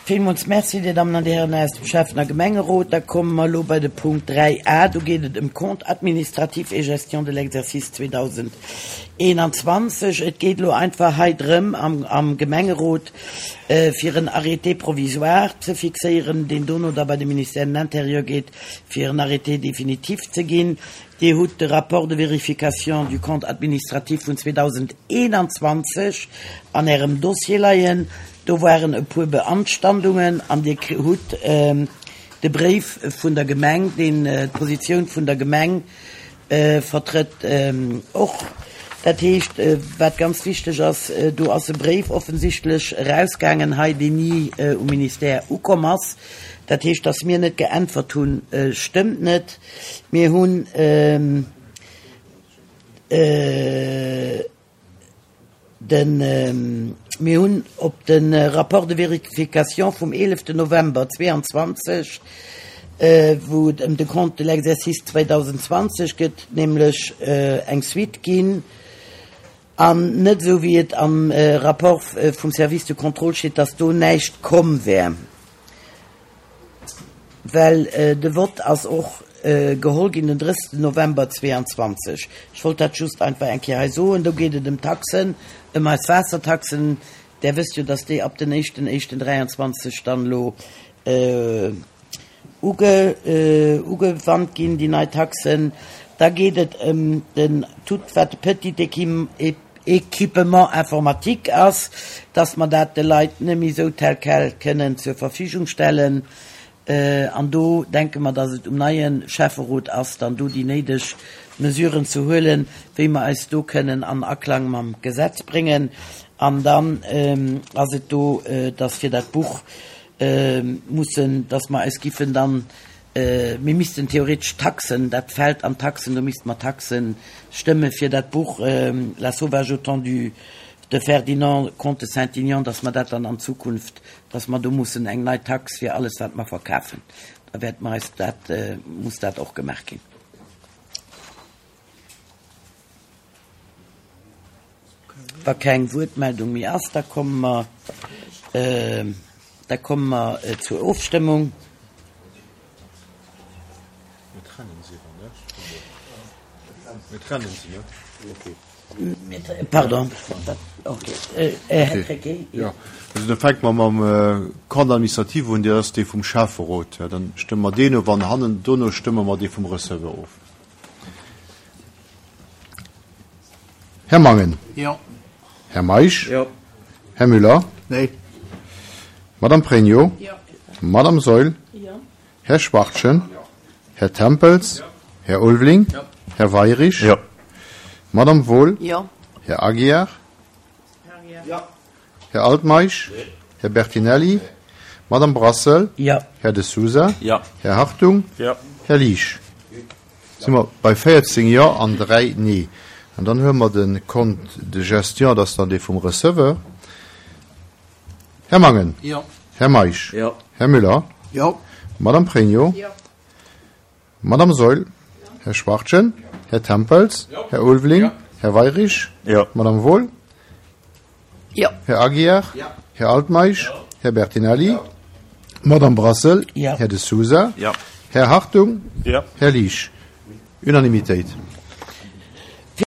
Villmools Merci, Dir Dammen an Dir Hären aus dem Schäffen a Gemengerot. Da komme mer elo bei de Punkt 3a. Do geet et ëm Compte administratif et gestion de l'exercice 2021. Et geet elo einfach hei drëm am Gemengerot, fir en Arrêté provisoire ze fixéieren, deen dono da bei de Ministère de l'Intérieur geet, fir en Arrêté définitif ze ginn. Dir hutt de Rapport de vérification du compte administratif vun 2021 an Ärem Dossier leien. Do waren e puer Beanstandungen an Dir hutt de Bréif vun der Gemeng, deen d'Positioun vun der Gemeng vertrëtt, och. Dat heescht, wat ganz wichteg ass, do ass e Bréif offensichtlech erausgaangen hei, deen ni um Ministère ukomm ass. Dat heescht, datt mir net geäntwert hunn, stëmmt net. Mir hunn den, mir hunn op de Rapport de vérification vum 11 November 22, wou et ëm de Compte de l'exercice 2020 gëtt, nämlech eng Suite ginn, an net esou wéi et am Rapport vum Service de contrôle steet, dass do näischt komm wär. Well de Vott ass och geholl ginn den 30 November 22. Ech wollt dat just einfach eng Kéier hei soen. Do geet et ëm d'Taxen, ëm eis Waassertaxen. Där wësst jo, dass déi ab den éischten éischten 23 dann elo ugewannt ginn, déi nei Taxen. Da geet et ëm den tout wat de petit Équipement informatique ass, dass mer dat de Leit net méi esou tel quel kënnen zur Verfügung stellen. An do denke mer, dass et um neie Schäfferot ass, dann do déi néideg Mesuren ze huelen, wéi mer eis do kënnen an Aklang mam Gesetz bréngen. An dann ass et do, dass fir dat Buch mussen, dass mer eis giffen dann Mir missten theoretesch Taxen, dat fält an d'Taxen, do misste mer Taxe stëmme fir dat Buch La sauvage au temps du de Ferdinand, Comte de Saint-Aignan, dass mer dat dann an Zukunft, dass mer do mussen eng nei Tax fir alles wat mer verkafen, da wäerte mer eis dat, muss dat och gemaach ginn. Wa keng Wuertmeldung méi ass, da komme mer, da komme mer zur Ofstëmmung. Mir trennen se iwwer, ne? Mir trennen se, ne? Okay. Pardon. Okay. Här Krecké. Jo, also da fänke mer mam Compte administratif un, dat ass dee vum Schäfferot. Dann stëmme mer deen of an hannen dono stëmme mer dee vum Receveur of. Här Mangen. Jo. Här Meisch. Jo. Här Müller. Nee. Madame Pregno. Jo. Madame Saeul. Jo. Här Schwachtgen. Jo. Här Tempels. Jo. Här Ulveling. Jo. Här Weirich. Jo. Madame Wohl. Jo. Här Aguiar. Jo. Här Altmeisch. Här Bertinelli. Madame Brassel. Jo. Här De Sousa. Jo. Här Hartung. Jo. Här Liesch. Si mer bei 14 Jo an 3 Nee. An dann huele mer de Compte de gestion, dat ass dann dee vum Receveur. Här Mangen. Jo. Här Meisch. Jo. Här Müller. Jo. Madame Pregno. Jo. Madame Saeul. Här Schwachtgen. Här Tempels. Här Ulveling. Här Weirich. Jo. Madame Wohl. Jo. Här Aguiar. Här Altmeisch. Här Bertinelli. Madame Brassel. Jo. Här De Sousa. Jo. Här Hartung. Jo. Här Liesch. Unanimitéit.